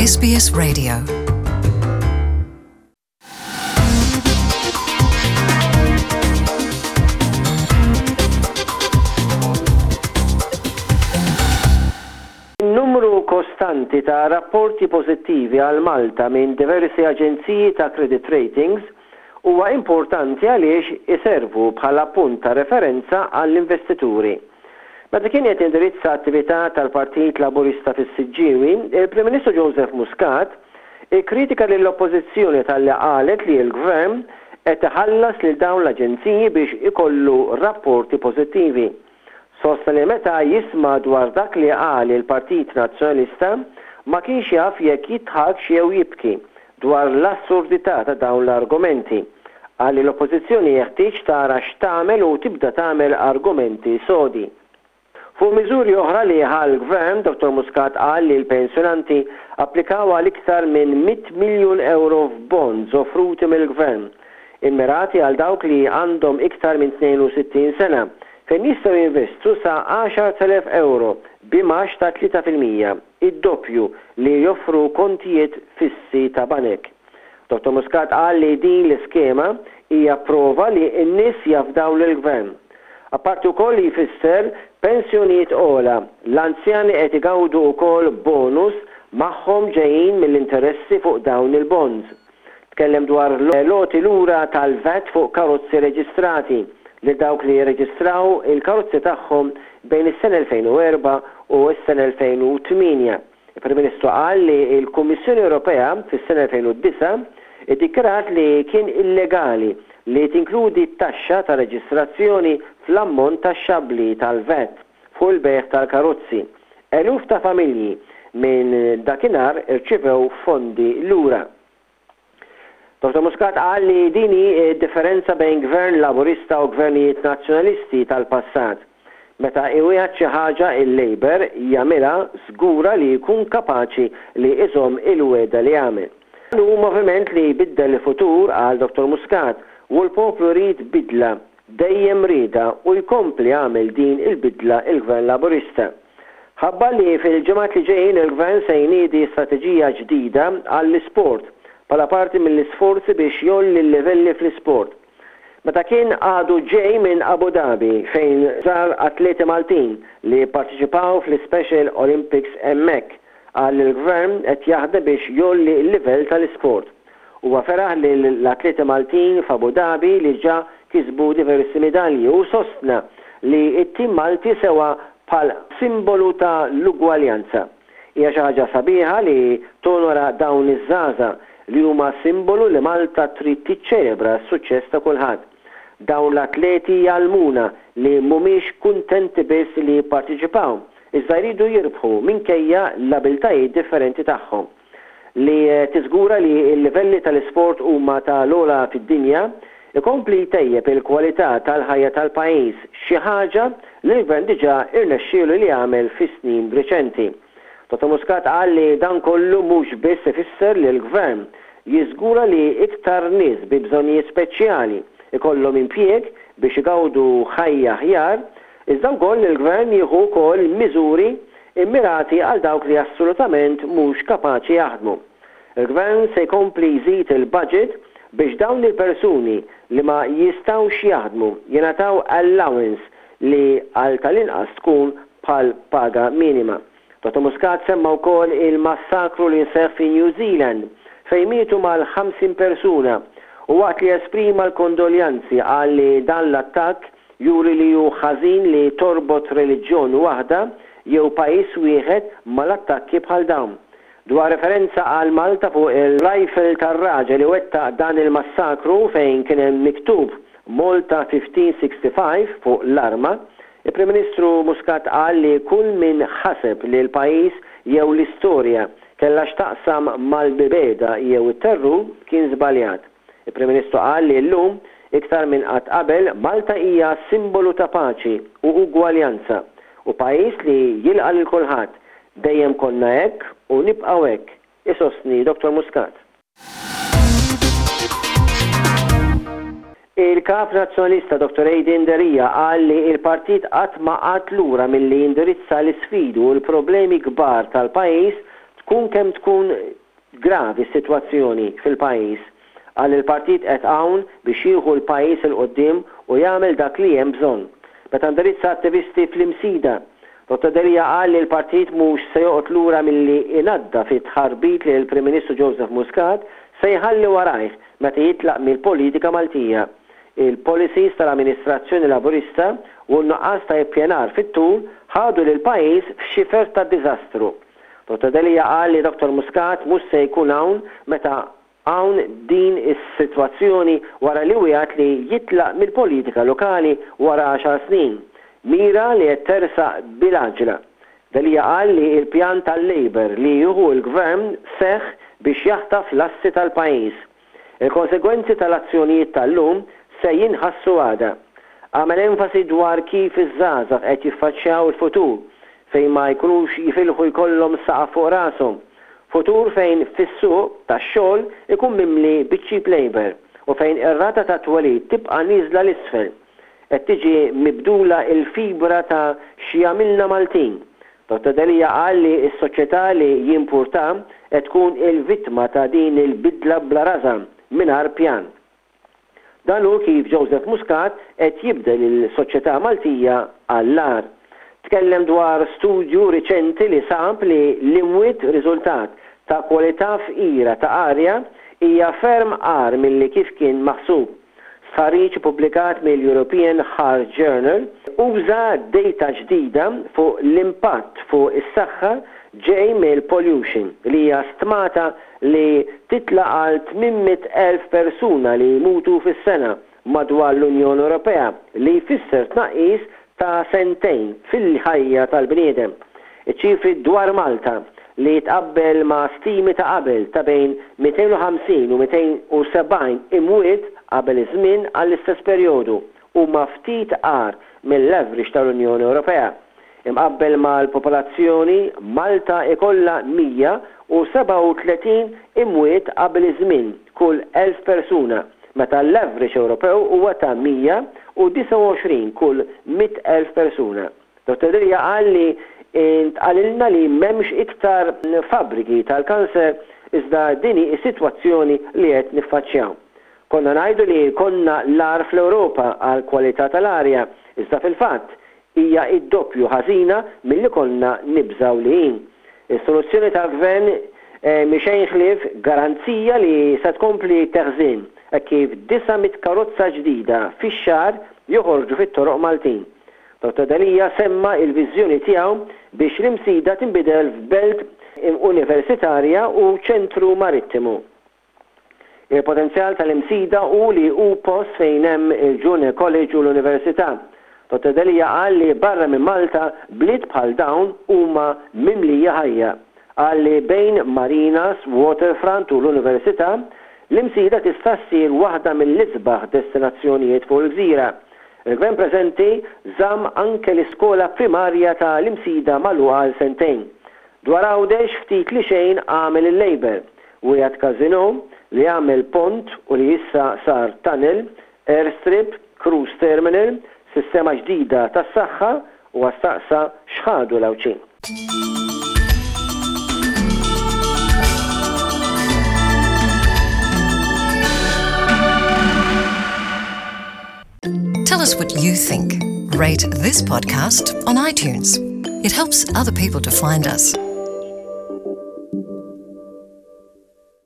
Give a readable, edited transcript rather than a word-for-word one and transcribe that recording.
SBS Radio. In-numru kostanti ta' rapporti pożittivi għal Malta minn diversi aġenziji ta' credit ratings huwa importanti għaliex iservu bħala punt ta' referenza għall-investituri. Meta kien qed jindirizza attività tal-Partit Laburista fis-Siġġiewi, il-Prim Ministru Joseph Muscat ikkritika lill-Oppożizzjoni talli qalet li l-Gvern qed iħallas lil dawn l-aġenziji biex ikollu rapporti pożittivi. Sostna li meta jisma' dwar dak li qal il-Partit Nazzjonalista ma kienx jaf jekk jidħakx jew jibki dwar l-assurdità ta' dawn l-argumenti. Qal li l-Oppożizzjoni jeħtieġ tara x'tagħmel u tibda tagħmel argumenti sodi. Fuq miżuri oħra li ħa l-Gvern, Dottor Muscat qal li l-pensjonanti applikaw għal iktar minn 100 miljun ewro f'bonds offruti mill-Gvern, immirati għal dawk li għandhom iktar minn 62 sena, fejn jistgħu jinvestu sa 10,000 ewro b'imgħax ta' 3%, id-doppju li joffru kontijiet fissi ta' banek. Dottor Muscat qal li din l-iskema hija prova li n-nies jafdaw lill-Gvern. Apparti wkoll li jfisser pensjonijiet ogħla, l-anzjani qed igawdu wkoll bonus magħhom ġejjin mill-interessi fuq dawn il-bonds. Tkellem dwar l-għoti lura tal-VAT fuq karozzi reġistrati lil dawk li rreġistraw il-karozzi tagħhom bejn is-sena 2004 u s-sena 2008. Il-Prim Ministru qal li l-Kummissjoni Ewropea fis-sena 2009 iddikjarat li kien illegali li tinkludi t-taxxa ta' reġistrazzjoni fl-ammont taxxabbli tal-VAT fuq il-bejgħ tal-karozzi. Eluf ta' familji minn dakinhar irċivew fondi lura. Dottor Muscat qal li din hi d-differenza bejn Gvern Laburista u Gvernijiet Nazzjonalisti tal-passat. Meta iwiegħed xi ħaġa il-Labour jagħmilha żgura li jkun kapaċi li iżomm il-wegħda li għamel. Dan hu moviment li jbiddel il-futur, qal Dottor Muscat, u l-poplu jrid bidla, dejjem riedha u jkompli jagħmel din il-bidla il-Gvern Laburista. Ħabbar li fil-ġimgħat li ġejjin il-Gvern se jniedi strateġija ġdida għall-isport bħala parti mill-isforzi biex jgħolli l-livelli fl-isport. Meta kien għadu ġej minn Abu Dhabi fejn żar atleti Maltin li pparteċipaw fl-Ispecial Olympics hemmhekk, qal li l-Gvern qed jaħdem biex jgħolli l-livell tal-isport. Huwa feraħ lill-atleti Maltin f'Abu Dhabi li ġa kisbu diversi midalji u sostna li t-tim Malti sewa bħal simbolu ta' l-ugwaljanza. Hija xi ħaġa sabiħa li tonora dawn iż-żgħażagħ li huma simbolu li Malta trid tiċċelebra s-suċċess ta' kulħadd. Dawn l-atleti jgħallmuna li mhumiex kuntenti biss li jipparteċipaw, iżda jridu jirbħu minkejja l-abiltajiet differenti tagħhom. li tiżgura li l-livelli tal-isport huma ta' l-ogħla fid-dinja, ikompli jtejjeb il-kwalità tal-ħajja tal-pajjiż, xi ħaġa li l-Gvern diġà irnexxielu li jagħmel fis-snin riċenti. Dottor Muscat qal li dan kollu mhux biss ifisser li l-Gvern jiżgura li iktar nies bi bżonnijiet speċjali jkollhom impjieg biex igawdu ħajja aħjar, iżda wkoll li l-Gvern jieħu wkoll miżuri immirati għal dawk li assolutament mhux kapaċi jaħdmu. Il-Gvern se jkompli jżid il-budget biex dawn il-persuni li ma jistgħux jaħdmu jingħataw allowance li għal tal-inqas tkun bħal paga minima. Dottor Muscat semma wkoll il-massakru li seħħ fi New Zealand fejn mietu mal-50 persuna u waqt li esprima l-kondoljanzi qal li dan l-attakk Juri li hu ħażin li torbot reliġjon waħda jew pajjiż wieħed mal-attakki bħal dawn. Dwar referenza għal Malta fuq il-rifle tar-raġel li wettaq dan il-massakru fejn kien hemm miktub Malta 1565 fuq l-arma, il-Prim Ministru Muscat qal li kull min ħaseb li l-pajjiż jew l-istorja kellha x'taqsam mal-mibegħda jew it-terrur kien żbaljat. Il-Prim Ministru qal li llum, iktar minn qatt qabel, Malta hija simbolu ta' paċi u ugwaljanza u pajjiż li jilqa' lil kulħadd. Dejjem konna hekk u nibqgħu hekk, isostni Dottor Muscat. Il-Kap Nazzjonalista Dottor Adrian Delia qal li l-partit qatt ma qagħad lura milli jindirizza l-isfidi u l-problemi kbar tal-pajjiż. tkun kemm tkun gravi s-sitwazzjoni fil-pajjiż. Qal li l-partit qed hawn biex jieħu l-pajjiż 'il quddiem u jagħmel dak li hemm bżonn. Meta indirizza attivisti fl-Imsida, Dottor Delia qal li l-partit mhux se joqgħod lura milli inaddaf it-tħarbit li l-Prim Ministru Joseph Muscat se jħalli warajh meta jitlaq mill-politika Maltija. Il-policies tal-amministrazzjoni Laburista u n-nuqqas ta' ippjanar fit-tul ħadu lill-pajjiż f'xifer ta' diżastru. Dottor Delia qal li Dottor Muscat mhux se jkun hawn meta hawn din is-sitwazzjoni wara li wiegħed li jitlaq mill-politika lokali wara għaxar snin, mira li qed tersaq bil-għaġġla. Delia qal li l-pjan tal-Labour li jieħu l-Gvern seħħ biex jaħtaf l-assi tal-pajjiż. Il-konsegwenzi tal-azzjonijiet tal-lum se jinħassu għada. Għamel enfasi dwar kif iż-żgħażagħ qed jiffaċċjaw il-futur fejn ma jkunux jifilħu jkollhom saqaf fuq rashom. Futur fejn fis-suq tax-xogħol ikun mimli biċ-cheap labour u fejn ir-rata tat-twelid tibqa' nieżla 'l isfel. Qed tiġi mibdula l-fibra ta' x'jagħmilna Maltin. Dottor Delia qal li s-soċjetà li jimpurtha qed tkun il-vittma ta' din il-bidla bla rażan, mingħajr pjan. Dan hu kif Joseph Muscat qed jibdel il-soċjetà Maltija għall-agħar. Tkellem dwar studju riċenti li sab li l-imwiet riżultat ta' kwalità fqira ta' arja hija ferm agħar milli kif kien maħsub. Stħarriġ ippubblikat mill-European Heart Journal uża data ġdida fuq l-impatt fuq is-saħħa ġej mill-pollution li hija stmata li titla' għal 800,000 persuna li jmutu fis-sena madwar l-Unjoni Ewropea li jfisser tnaqqis ta' sentejn fil-ħajja tal-bniedem. Iċ-ċifri dwar Malta, li jitqabbel ma' stimi ta' qabel ta' bejn 250 u 270 imwiet qabel iż-żmien għall-istess perjodu, huma ftit agħar mill-average tal-Unjoni Ewropea. Imqabbel mal-popolazzjoni, Malta ikollha 137 imwiet qabel iż-żmien kull 1,000 persuna, meta l-average Ewropew huwa ta' 129 kull 100,000 persuna. Dottor Delia qal li ntqalilna li m'hemmx iktar fabbriki tal-kanser iżda din hi s-sitwazzjoni li qed niffaċċjaw. Konna ngħidu li konna l-agħar fl-Ewropa għall-kwalità tal-arja iżda fil-fatt hija d-doppju ħażina milli konna nibżgħu li hi. Is-soluzzjoni tal-Gvern mhi xejn ħlief garanzija li se tkompli teħżien hekk kif 900 karozza ġdida fix-xahar joħorġu fit-toroq Maltin. Dottor Delia semma l-viżjoni tiegħu biex l-Imsida tinbidel f'belt universitarja u ċentru marittimu. Il-potenzjal tal-Imsida hu li hu post fejn hemm il-Junior College u l-Università. Dottor Delia qal li barra minn Malta bliet bħal dawn huma mimlija ħajja. Qal li bejn marinas, waterfront u l-Università, l-Imsida tista' ssir waħda mill-isbaħ destinazzjonijiet fuq il-gżira. Il-Gvern preżenti żamm anke l-iskola primarja ta' l-Imsida magħluqa għal sentejn. Dwar Għawdex ftit li xejn għamel il-Labour. Wiegħed każinò, li għamel pont u li issa sar tunnel, airstrip, cruise terminal, sistema ġdida tas-saħħa, huwa staqsa x'ħadu l-Għawdxin. Tell us what you think. Rate this podcast on iTunes. It helps other people to find us.